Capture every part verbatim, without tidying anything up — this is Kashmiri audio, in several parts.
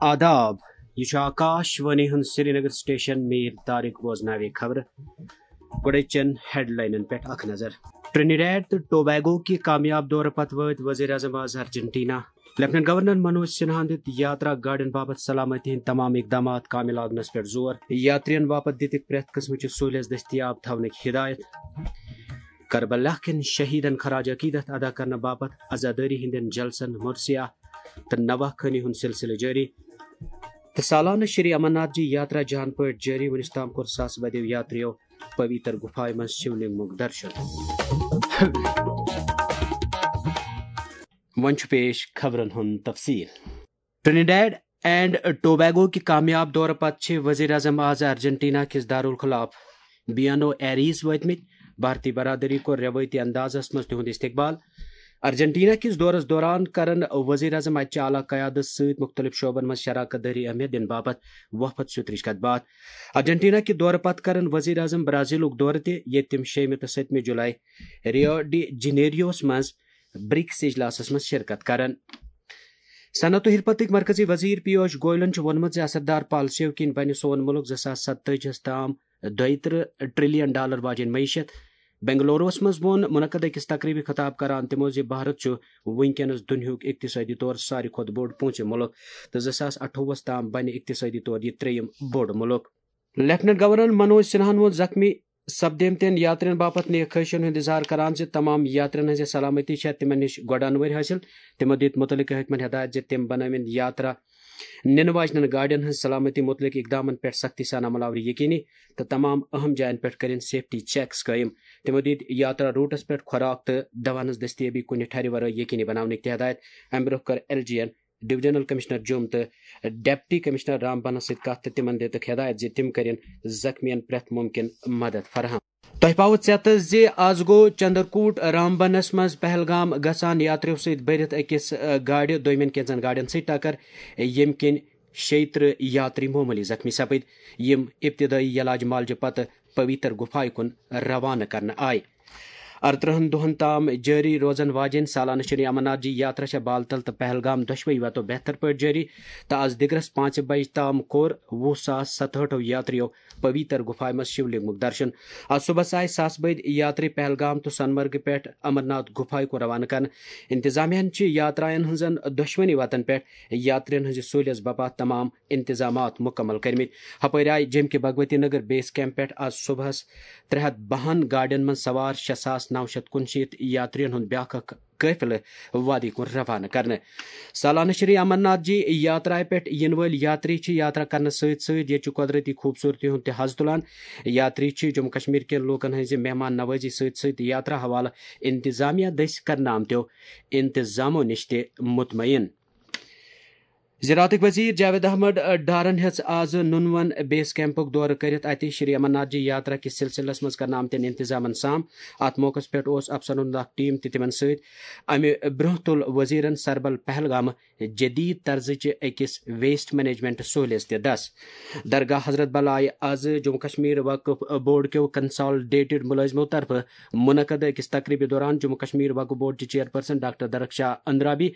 آداب، یہِ چھُ آکاش وانی ہُنٛد سرینگر سٹیشن۔ میٖر طارق بوزناوِ خبرٕ۔ گۄڈٕچٮ۪ن ہیڈلاینن پٮ۪ٹھ اکھ نظر۔ ٹرینیڈیڈ تہٕ ٹوبیگو کہِ کامیاب دورٕ پتہٕ وٲتۍ وزیر اعظم آز ارجنٹینا۔ لیفٹیننٹ گورنر منوج سنہاہن دِتۍ یاترا گاڑٮ۪ن باپتھ سلامتی ہٕنٛدۍ تمام اقدامات کامہِ لاگنس پٮ۪ٹھ زور۔ یاترین باپتھ دِتِکھ پرٛٮ۪تھ قٕسمٕچہِ سہوٗلیژ دٔستیاب تھاونٕکۍ ہدایت۔ کربلا کٮ۪ن شہیدن خراج عقیدت ادا کرنہٕ باپتھ عزادٲری ہٕنٛدٮ۪ن جلسن مرثیہ تہٕ نواہ خٲنی ہُنٛد سلسلہٕ جٲری۔ تہٕ سالانہٕ شری امرناتھ جی یاترا جان پٲٹھۍ جٲری۔ وُنیُس تام کوٚر ساسہٕ بٔدیو یاتریو پویتر گُفایہِ منٛز شِولنگمُک درشن۔ وۄنۍ چھُ پیش خبرن ہُنٛد تفصیل۔ ٹرینیڈیڈ اینڈ ٹوبیگو کہِ کامیاب دورٕ پتہٕ چھِ وزیر اعظم آز ارجنٹینا کِس دارالخلاف بیانو ایریز وٲتمٕتۍ۔ بھارتی برادری کوٚر روایتی اندازس منٛز تِہُنٛد استقبال۔ ارجنٹینا کِس دورس دوران کرن وزیر اعظم اتہِ چہِ اعلیٰ قیادت سۭتۍ مُختٔلِف شعبن منٛز شراکت دٲری اہمیت دِنہٕ باپتھ وفد سُترٕچ کتھ باتھ۔ ارجنٹینا کہِ دورٕ پتہٕ کرن وزیر اعظم برازیلُک دورٕ تہِ، ییٚتہِ تِم شیٚیِمہِ تہٕ سٔتمہِ جولائی ریو ڈی جنیریوس منٛز برکس اجلاسس منٛز شرکت کرن۔ صنعت و حرفتٕکۍ مرکزی وزیر پیوش گوئلن چھُ ووٚنمُت زِ اثردار پالیسیو کِنۍ بنہِ سون مُلک زٕ ساس ستٲجی ہَس تام دۄیہِ ترٕہ ٹریلین ڈالر واجیٚنۍ معیشت۔ بنگلوروَس منٛز ووٚن منعقد أکِس تقریبہِ خطاب کران تِمو زِ بھارت چھُ وُنکیٚنَس دُنیاہُک اقتصٲدی طور ساروی کھۄتہٕ بوٚڑ پوٗنٛژِم مُلک تہٕ زٕ ساس اَٹھووُہَس تام بنہِ اقتصٲدی طور یہِ ترٛیٚیِم بوٚڑ مُلک۔ لیفٹیننٹ گورنر منوج سنہاہن ووٚن زخمی سپدیمتٮ۪ن یاترین باپتھ نیک خواہشن ہُنٛد اظہار کران زِ تمام یاترین ہٕنٛز سلامتی چھےٚ تِمن نِش گۄڈٕ انوٲرۍ حٲصِل۔ تِمو دِتۍ مُتعلقہٕ حٲکمن ہدایت زِ تِم بنٲوِن یاترا نِنہٕ واجنٮ۪ن گاڑٮ۪ن ہٕنٛز سلامتی مُتعلق اقدامن پٮ۪ٹھ سختی سان عمل آوری یقینی تہٕ تمام اہم جاین پٮ۪ٹھ کٔرِن سیفٹی چیکس قٲیِم۔ تِمو دِتۍ یاترا روٹس پٮ۪ٹھ خوراک تہٕ دواہن ہٕنٛز دستیٲبی کُنہِ ٹھرِ ورٲے یقینی بناونٕکۍ تہِ ہدایت۔ امہِ برٛونٛہہ کٔر ایل جی این ڈویژنل کمشنر جوٚم تہٕ ڈپٹی کمشنر رامبنس سۭتۍ کتھ تہٕ تِمن دِتُکھ ہدایت زِ تِم کٔرِن زخمیَن پرٛٮ۪تھ مُمکِن مدد فراہم۔ تۄہہِ پاوٕ ژیتہٕ زِ آز گوٚو چندرکوٹ رامبنس منٛز پہلگام گژھان یاتریو سۭتۍ بٔرِتھ أکِس، آ، گاڑِ دوٚیمٮ۪ن کینٛژن گاڑٮ۪ن سۭتۍ ٹکر، ییٚمہِ کِنۍ شیٚیہِ ترٕہ یاتری معموٗلی زخمی سپٕدۍ، یِم ابتدٲیی علاج معالجہِ پتہٕ پویتر گُفایہِ کُن روانہٕ کرنہٕ آیہِ۔ ارترٕہن دۄہن تام جٲری روزن واجیٚنۍ سالانہٕ شری امرناتھ جی یاترا چھےٚ بالتل تہٕ پہلگام دۄشوے وتو بہتر پٲٹھۍ جٲری تہٕ از دِگرس پانٛژِ بجہِ تام کوٚر وُہ ساس ستہٲٹھو یاتریو پویتر گُفایہِ منٛز شِولنگمُک درشن۔ از صبحس آیہِ ساسہٕ بٔدۍ یاتری پہلگام تہٕ سونمرگہِ پٮ۪ٹھ امرناتھ گُفایہِ کُن روانہٕ کرنہٕ۔ انتظامیہ ہن چھِ یاتراین ہٕنٛزن دۄشوٕنی وتن پٮ۪ٹھ یاترین ہٕنٛزِ سہوٗلیژ باپتھ تمام انتظامات مُکمل کٔرمٕتۍ۔ ہپٲرۍ آیہِ جیٚمہِ کہِ بھگوتی نگر بیس کیمپ پٮ۪ٹھ آز صبحس ترٛےٚ ہتھ بہن گاڑٮ۪ن منٛز سوار شےٚ ساس نو شتھ کُنشیٖتھ یاترین ہُنٛد بیٛاکھ اکھ قٲفلہٕ وادی کُن روانہٕ کرنہٕ۔ سالانہٕ شری امرناتھ جی یاترایہِ پٮ۪ٹھ یِنہٕ وٲلۍ یاتری چھِ یاترا کرنہٕ سۭتۍ سۭتۍ ییٚتہِ چہِ قۄدرٔتی خوٗبصوٗرتی ہُنٛد تہِ حظ تُلان۔ یاتری چھِ جموں کشمیر کٮ۪ن لوٗکن ہٕنٛزِ مہمان نوٲزی سۭتۍ سۭتۍ یاترا حوالہٕ انتظامیہ دٔسۍ کرنہٕ آمتیو انتظامو نِش تہِ مطمئن۔ زراعتٕکۍ وزیر جاوید احمد ڈارن ہیٚژ آز نُنون بیس کیمپُک دورٕ کٔرِتھ اَتہِ شری امرناتھ جی یاترا کِس سلسلس منٛز کرنہٕ آمتٮ۪ن انتظامن سام۔ اتھ موقعس پٮ۪ٹھ اوس افسرن ہُنٛد اکھ ٹیم تہِ تِمن سۭتۍ۔ امہِ برٛونٛہہ تُل وزیرن سربل پہلگامہٕ جدید طرزٕچہِ أکِس ویسٹ مینجمنٹ سہوٗلیژ تہِ دس۔ درگاہ حضرت بل آیہِ آز جموں کشمیر وقف بورڈ کیو کنسالڈیٹڈ مُلٲزمو طرفہٕ منعقد أکِس تقریبہِ دوران جموں کشمیر وقف بورڈ چہِ چیئرپرسن ڈاکٹر درخشاہ اندرابی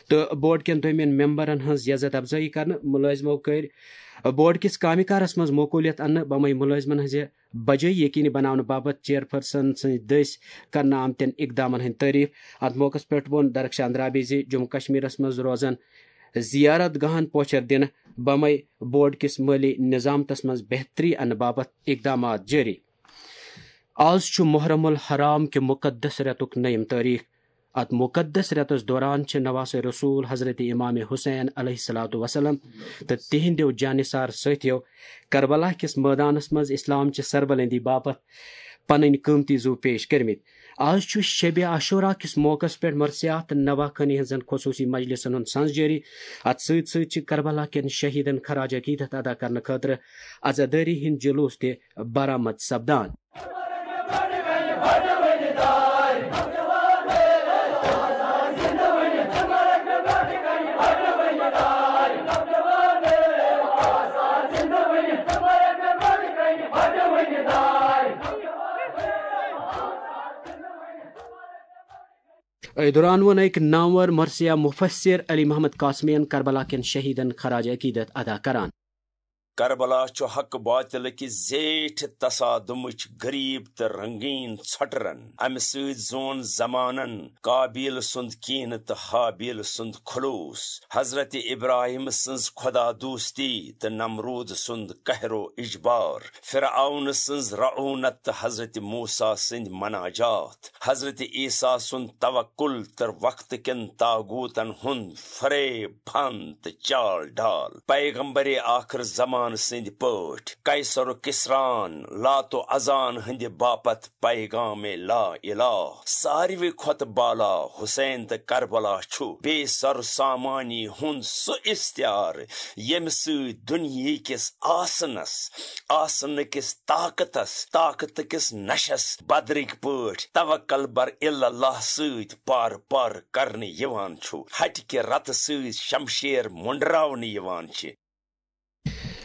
تہٕ بورڈ کٮ۪ن دوٚیمٮ۪ن ممبرن ہٕنٛز عزت افزٲیی کرنہٕ۔ مُلٲزمو کٔرۍ بورڈ کِس کامہِ کارس منٛز معقولیت اننہٕ بمے مُلٲزمن ہٕنٛزِ بجٲیی یقینی بناونہٕ باپتھ چیئرپرسن سٕنٛدۍ دٔسۍ کرنہٕ آمتٮ۪ن اقدامن ہٕنٛدۍ تعریف۔ اتھ موقعس پٮ۪ٹھ ووٚن درخشاہ اندرابی زِ جموں کشمیرس منٛز روزن زیارت گاہن پوچھر دِنہٕ بمے بورڈ کِس مٲلی نظامتس منٛز بہتری اننہٕ باپتھ اقدامات جٲری۔ آز چھُ محرم الحرام کہِ مقدس رٮ۪تُک نٔیِم تٲریخ۔ اتھ مقدس رٮ۪تس دوران چھِ نواسہ رسول حضرت امام حسین علیہ الصلوۃ والسلام تہٕ تِہنٛدیو جانثار سٲتھیو کربلا کِس مٲدانس منٛز اسلام چہِ سربلندی باپتھ پنٕنۍ قۭمتی زُو پیش کٔرمٕتۍ۔ آز چھُ شبِ عاشورہ کِس موقعس پٮ۪ٹھ مرثیات تہٕ نواہ خٲنی ہٕنٛزن خصوٗصی مجلسن ہُنٛد سنز جٲری۔ اتھ سۭتۍ سۭتۍ چھِ کربلا کٮ۪ن شہیدن خراج عقیدت ادا کرنہٕ خٲطرٕ عزادٲری ہٕنٛدۍ جلوس تہِ برآمد سپدان۔ أتھۍ دوران ووٚن أکۍ نامور مرثیہ مفسر علی محمد قاسمی یَن کربلا کٮ۪ن شہیدن خراج عقیدت ادا کران۔ کربلا چھُ حق باطل کہِ زیٹھِ تصادمٕچ غریب تہٕ رنگین ژھۄٹرن۔ امہِ سۭتۍ زون زمانن قابیل سُنٛد کینہٕ تہٕ ہابیل سُنٛد خلوص۔ حضرت ابراہیم سٕنٛز خدا دوستی تہٕ نمرود سُنٛد قہر و اجبار۔ فرعون سٕنٛز رعونت تہٕ حضرت موسیٰ سٕنٛدۍ مناجات۔ حضرت عیسیٰ سُنٛد توکل تہٕ وقت کٮ۪ن طاغوتن ہُنٛد فریب، پھن تہٕ چال ڈال۔ پیغمبر آخر زمان سٕنٛدۍ پٲٹھۍ قیصر و کسران، لات و ازان ہٕنٛدِ باپتھ پیغام لا الہ۔ ساروی کھۄتہٕ بالا حسین تہٕ کربلا چھُ بے سر سامانی ہُنٛد سُہ استعارٕ، ییٚمہِ سۭتۍ دُنیہٕ کِس آسنس، آسنہٕ کِس طاقتس، طاقتہٕ کِس نشس بدرٕکۍ پٲٹھۍ توکل بر الا اللہ سۭتۍ پار پار کرنہٕ یِوان چھُ، ہٹہِ کہِ رتہٕ سۭتۍ شمشیر مُنڈراونہٕ یِوان چھِ۔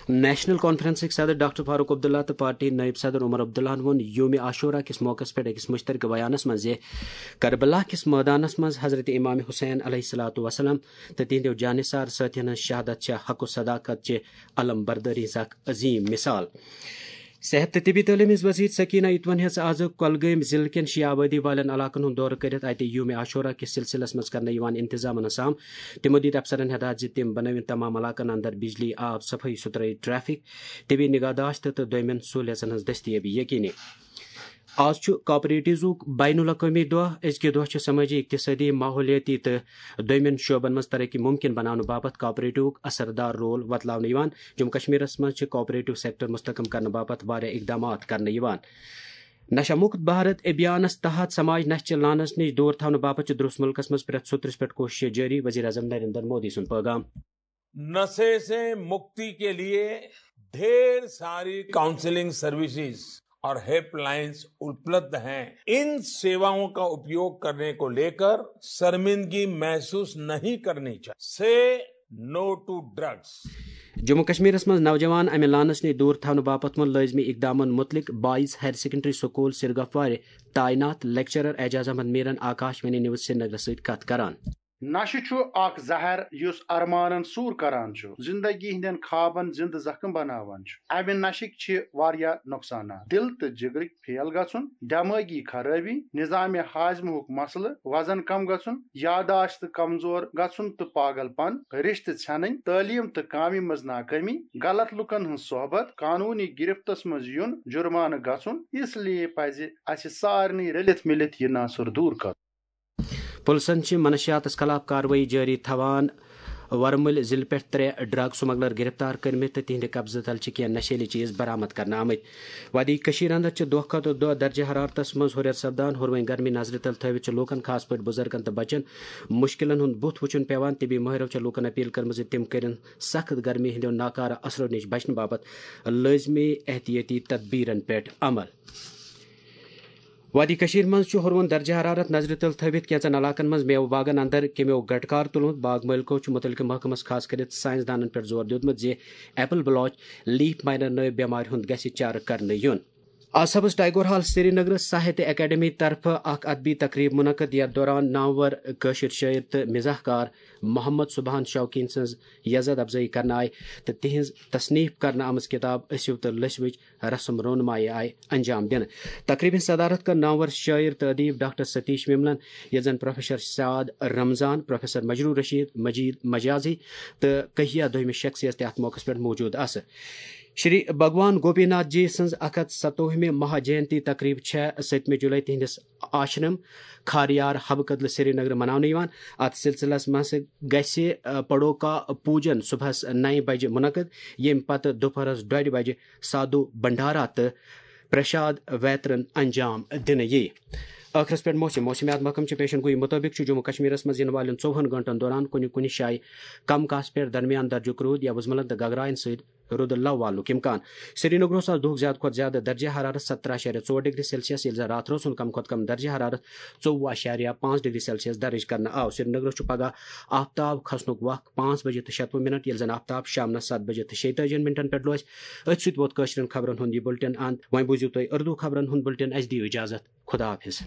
نیشنل کانفرنسٕکۍ صدر ڈاکٹر فاروق عبداللہ تہٕ پارٹی نٲیِب صدر عمر عبداللہَن ووٚن یوم عاشورہ کِس موقعس پٮ۪ٹھ أکِس مُشترکہٕ بیانَس منٛز زِ کربلا کِس مٲدانَس منٛز حضرت امام حسین علیہ الصلوۃ والسلام تہٕ تِہنٛدیو جانثار سٲتھیَن ہٕنٛز شہادت چھےٚ حق و صداقت چہِ علم بردٲری ہٕنٛز اکھ عظیٖم مثال۔ صحت تہٕ طبی تعلیٖم ہٕنٛز وزیر سکینہ اتوَن ہیٚژ آز کۄلگٲمۍ ضلعہٕ کٮ۪ن شیعہ آبٲدی والٮ۪ن علاقن ہُنٛد دورٕ کٔرِتھ اَتہِ یوم عاشورہ کِس سلسلس منٛز کرنہٕ یِوان انتظامن ہُنٛد سام۔ تِمو دِتۍ افسرن ہدایت زِ تِم بنٲوِن تمام علاقن اندر بجلی، آب، صفٲیی ستھرٲیی، ٹریفک، طبی نگہداشت تہٕ دوٚیمٮ۪ن سہولیژن ہٕنٛز دٔستیٲبی یقینی۔ آز چھُ کاپریٹیوزُک بین الاقوٲمی دۄہ۔ أزکہِ دۄہ چھُ سمٲجی، اقتصٲدی، ماحولیٲتی تہٕ دوٚیمٮ۪ن شعبن منٛز ترقی ممکن بناونہٕ باپتھ کاپریٹیوُک اثردار رول وۄتلاونہٕ یِوان۔ جموں کشمیرس منٛز چھِ کاپریٹیو سیکٹر مستحکم کرنہٕ باپتھ واریاہ اقدامات کرنہٕ یِوان۔ نشہ مکت بھارت ابھیانس تحت سماج نشہ چہِ لعنس نِش دور تھاونہٕ باپتھ چھِ درست ملکس منٛز پرٛٮ۪تھ سوٚترِس پٮ۪ٹھ کوٗششہِ جٲری، وزیر اعظم نریندر مودی سُنٛد پٲغام۔ नशे से मुक्ति के लिए ढेर सारी काउंसलिंग सर्विसेज और हेल्पलाइंस उपलब्ध हैं। इन सेवाओं का उपयोग करने को लेकर शर्मिंदगी महसूस नहीं करनी चाहिए। से नो टू ड्रग्स। جموں کشمیرس منٛز نوجوان امہِ لعنس نِش دور تھاونہٕ باپتھ ووٚن لٲزمی اقدامن متعلق بوائز ہائر سیکنڈری سکول سرگفوارِ تعینات لیکچرر اعجاز احمد میرن آکاش وانی نیوز سرینگرس سۭتۍ کتھ کران۔ نشہٕ چھُ اکھ زہر یُس ارمانن سوٗر کران چھُ، زندگی ہٕنٛدٮ۪ن خوابن زندٕ زخم بناوان چھُ۔ امہِ نشٕکۍ چھِ واریاہ نۄقصانات: دِل تہٕ جگرٕکۍ فیل گژھُن، دمٲغی خرٲبی، نظام ہاضمہُک مسلہٕ، وزن کم گژھُن، یاداشت کمزور گژھُن تہٕ پاگل پن، رشتہٕ ژھٮ۪نٕنۍ، تعلیٖم تہٕ کامہِ منٛز ناکٲمی، غلط لُکن ہٕنٛز صحبت، قانوٗنی گرفتس منٛز یُن، جرمانہٕ گژھُن۔ اس لیے پزِ اسہِ سارنٕے رٔلِتھ مِلِتھ یہِ ناسُر دوٗر کرُن۔ پُلسن چھِ منشیاتس خلاف کاروٲیی جٲری تھاوان۔ ورمُلۍ ضلعہٕ پٮ۪ٹھ ترٛےٚ ڈرگ سمگلر گرفتار کٔرمٕتۍ تہٕ تِہنٛدِ قبضہٕ تل چھِ کینٛہہ نشیلی چیز برآمد کرنہٕ آمٕتۍ۔ وادی کٔشیٖر اندر چھِ دۄہ کھۄتہٕ دۄہ درجہ حرارتس منٛز ہُرٮ۪ر سپدان۔ ہُروٕنۍ گرمی نظرِ تل تھٲوِتھ چھِ لوٗکن، خاص پٲٹھۍ بُزرگن تہٕ بچن، مُشکِلن ہُنٛد بُتھ وُچھُن پٮ۪وان۔ طبی مٲہرو چھِ لوٗکن اپیل کٔرمٕژ زِ تِم کٔرِن سخت گرمی ہٕنٛدیو ناکارٕ اثرو نِش بچنہٕ باپتھ لٲزمی احتیاطی تدبیرن پٮ۪ٹھ عمل۔ وادی کٔشیٖر منٛز چھُ ہُروُن درجہ حرارت نظرِ تل تھٲوِتھ کینٛژن علاقن منٛز میوٕ باغن اندر کیٚمیو گٹکار تُلمُت۔ باغ مٲلکو چھُ مُتعلقہٕ محکمس، خاص کٔرِتھ ساینس دانن پٮ۪ٹھ زور دیُتمُت زِ ایپل بلاچ لیف مائنر نٲوۍ بٮ۪مارِ ہُنٛد گژھِ چارٕ کرنہٕ یُن۔ آز صبحس ٹائیگر ہال سرینگرٕ ساہتیہ اکیڈمی طرفہٕ اکھ ادبی تقریب منعقد، یتھ دوران نامور کٲشِر شٲعر تہٕ مزاح کار محمد سبحان شوقین سٕنٛز یزت افزٲیی کرنہٕ آیہِ تہٕ تِہنٛز تصنیف کرنہٕ آمٕژ کتاب ٲسِو تہٕ لٔسۍ وٕچھ رسم رونمائی آیہِ انجام دِنہٕ۔ تقریبہِ ہٕنٛز صدارت کٔر نامور شٲعر تہٕ ادیب ڈاکٹر ستیش وملن، یتھ زن پروفیسر سعد رمضان، پروفیسر مجروح رشید، مجید مجازی تہٕ کہیا دوٚیمہِ شخصیت تہِ اتھ موقعس پٮ۪ٹھ موجود آسہٕ۔ شری بھگوان گوپی ناتھ جی سٕنٛز اکھ ہتھ ستووُہمہِ مہا جینتی تقریب چھےٚ سٔتمہِ جولائی تِہنٛدِس آشرم کھاریار حبہٕ کدلہٕ سرینگرٕ مناونہٕ یِوان۔ اتھ سلسلس منٛز گژھِ، آ، پڑوکا پوجن صبحس نَیہِ بجہِ منعقد، ییٚمہِ پتہٕ دُپہرس ڈۄڈِ بجہِ سادھو بھنڈارا تہٕ پرشاد ویترن انجام دِنہٕ یِیہِ۔ ٲخرس پٮ۪ٹھ موسم۔ موسمیات محکمہٕ چہِ پیشن گویی مُطٲبِق چھُ جموں کشمیرس منٛز یِنہٕ والٮ۪ن ژوٚوُہن گٲنٛٹن دوران کُنہِ کُنہِ جایہِ کم کاسہٕ پٮ۪ٹھ درمیان درجُک روٗد یا وُزملن تہٕ گگراین سۭتۍ رُدٕ لو والنُک امکان۔ سرینگرس آز دُہُک زیادٕ کھۄتہٕ زیادٕ درجہ حرارت سترہ اعشاریہ ژور ڈگری سیلسیس، ییٚلہِ زن راتھ روز ہُنٛد کم کھۄتہٕ کم درجہ حرارت ژوٚوُہ اعشاریہ پانٛژھ ڈگری سیلسیس درج کرنہٕ آو۔ سرینگرس چھُ پگہہ آفتاب کھسنُک وق پانٛژھ بجے تہٕ شتوُہ منٹ، ییٚلہِ زن آفتاب شامنس ستھ بجے تہٕ شیٚتٲجِہن منٹن پٮ۪ٹھ لوسہِ۔ أتھۍ سۭتۍ ووت کٲشرٮ۪ن خبرن ہُنٛد یہِ بُلٹن اند۔ وۄنۍ بوٗزِو تُہۍ اردو خبرن ہُنٛد بُلٹن۔ اسہِ دِیِو اجازت۔ خدا حافظ۔